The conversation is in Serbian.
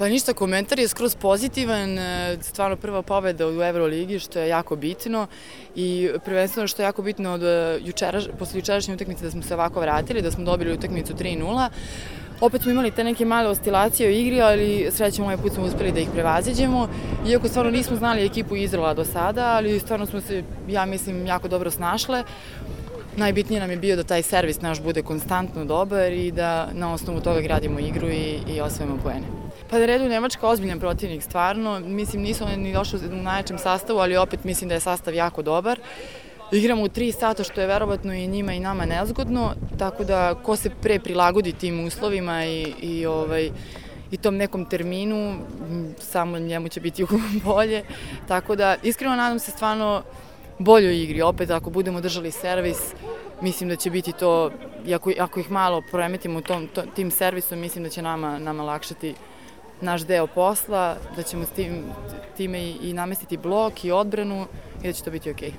Pa ništa, komentar je skroz pozitivan, stvarno prva pobeda u Euroligi, što je jako bitno i prvenstveno što je jako bitno posle jučerašnje utakmice da smo se ovako vratili, da smo dobili utakmicu 3:0. Opet smo imali te neke male oscilacije u igri, ali srećom ovaj put smo uspeli da ih prevaziđemo. Iako stvarno nismo znali ekipu Izraela do sada, ali stvarno smo se, ja mislim, jako dobro snašle. Najbitnije nam je bio da taj servis naš bude konstantno dobar i da na osnovu toga gradimo igru i osvojimo poene. Pa na redu Nemačka ozbiljan protivnik, stvarno. Mislim, nisu oni ni došli u najjačem sastavu, ali opet mislim da je sastav jako dobar. Igramo u 3 sata, što je verovatno i njima i nama nezgodno, tako da ko se pre prilagodi tim uslovima i tom nekom terminu, samo njemu će biti bolje. Tako da, iskreno nadam se stvarno boljoj igri. Opet, ako budemo držali servis, mislim da će biti to, ako ih malo poremetimo tim servisom, mislim da će nama lakšati naš deo posla, da ćemo time i namestiti blok i odbranu i da će to biti okej.